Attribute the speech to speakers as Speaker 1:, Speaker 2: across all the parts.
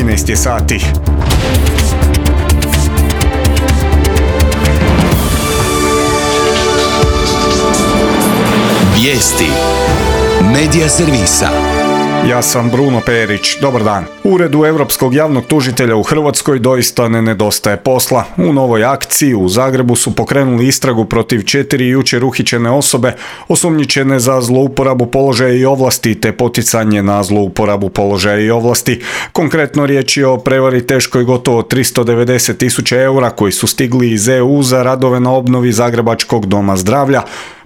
Speaker 1: 13 je sati.
Speaker 2: Vijesti Medija servisa.
Speaker 1: Ja sam Bruno Perić, dobar dan. Uredu Europskog javnog tužitelja u Hrvatskoj doista ne nedostaje posla. U novoj akciji u Zagrebu su pokrenuli istragu protiv 4 jučer uhićene osobe osumnjičene za zlouporabu položaja i ovlasti te poticanje na zlouporabu položaja i ovlasti. Konkretno riječ je o prevari teškoj gotovo 390.000 eura koji su stigli iz EU za radove na obnovi Zagrebačkog doma zdravlja.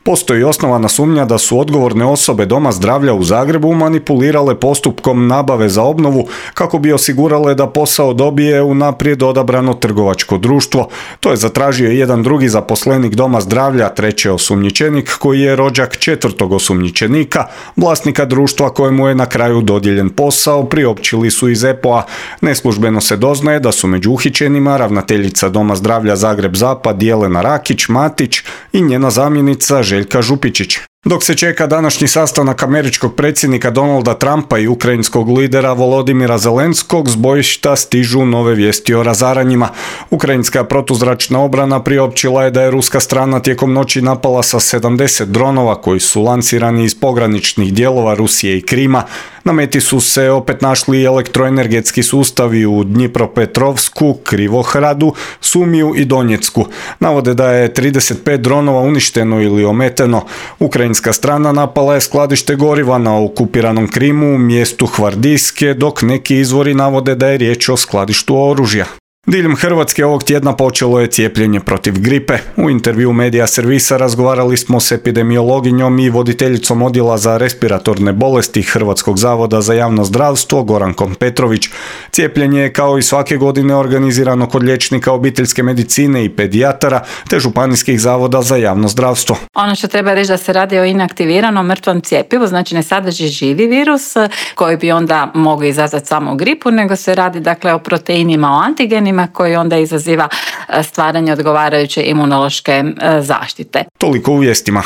Speaker 1: Postoji osnovana sumnja da su odgovorne osobe Doma zdravlja u Zagrebu manipulirale postupkom nabave za obnovu kako bi osigurale da posao dobije unaprijed odabrano trgovačko društvo. To je zatražio jedan drugi zaposlenik Doma zdravlja, treći osumnjičenik koji je rođak četvrtog osumnjičenika, vlasnika društva kojemu je na kraju dodijeljen posao, priopćili su iz EPO-a. Neslužbeno se doznaje da su među uhićenima ravnateljica Doma zdravlja Zagreb Zapad Jelena Rakić-Matić i njena zamjenica Željka Župičić. Dok se čeka današnji sastanak američkog predsjednika Donalda Trumpa i ukrajinskog lidera Volodimira Zelenskog, s bojišta stižu nove vijesti o razaranjima. Ukrajinska protuzračna obrana priopćila je da je ruska strana tijekom noći napala sa 70 dronova koji su lansirani iz pograničnih dijelova Rusije i Krima. Na meti su se opet našli elektroenergetski sustavi u Dnjipropetrovsku, Krivohradu, Sumiju i Donjecku. Navode da je 35 dronova uništeno ili ometeno. Ukrajinska strana napala je skladište goriva na okupiranom Krimu, mjestu Hvardijske, dok neki izvori navode da je riječ o skladištu oružja. Diljem Hrvatske ovog tjedna počelo je cijepljenje protiv gripe. U intervju Medija servisa razgovarali smo s epidemiologinjom i voditeljicom odjela za respiratorne bolesti Hrvatskog zavoda za javno zdravstvo Gorankom Petrović. Cijepljenje je kao i svake godine organizirano kod liječnika obiteljske medicine i pedijatara te županijskih zavoda za javno zdravstvo.
Speaker 3: Ono što treba reći da se radi o inaktiviranom mrtvom cjepivu, znači ne sadrži živi virus koji bi onda mogao izazvati samo gripu, nego se radi dakle o proteinima, o antigenima koji onda izaziva stvaranje odgovarajuće imunološke zaštite.
Speaker 1: Toliko u vijestima.